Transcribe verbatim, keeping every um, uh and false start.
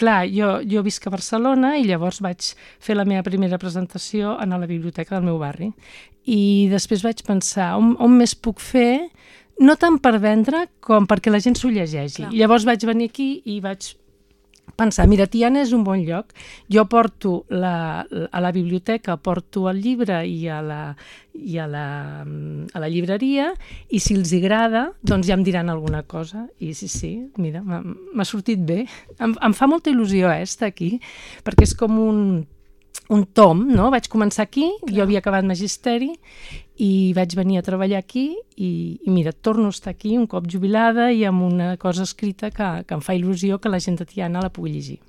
clar, jo, jo visc a Barcelona i llavors vaig fer la meva primera presentació a la biblioteca del meu barri. I després vaig pensar, on, on més puc fer? No tant per vendre com perquè la gent s'ho llegeixi. Clar. Llavors vaig venir aquí i vaig pensar, mira, Tiana és un bon lloc, jo porto la, a la biblioteca, porto el llibre i a la, i a la, a la llibreria, i si els agrada, doncs ja em diran alguna cosa. I sí, sí, mira, m'ha sortit bé. Em, em fa molta il·lusió eh, estar aquí, perquè és com un, un tom, no? Vaig començar aquí, clar. Jo havia acabat magisteri, i vaig venir a treballar aquí i, i mira, torno a estar aquí un cop jubilada i amb una cosa escrita que, que em fa il·lusió que la gent de Tiana la pugui llegir.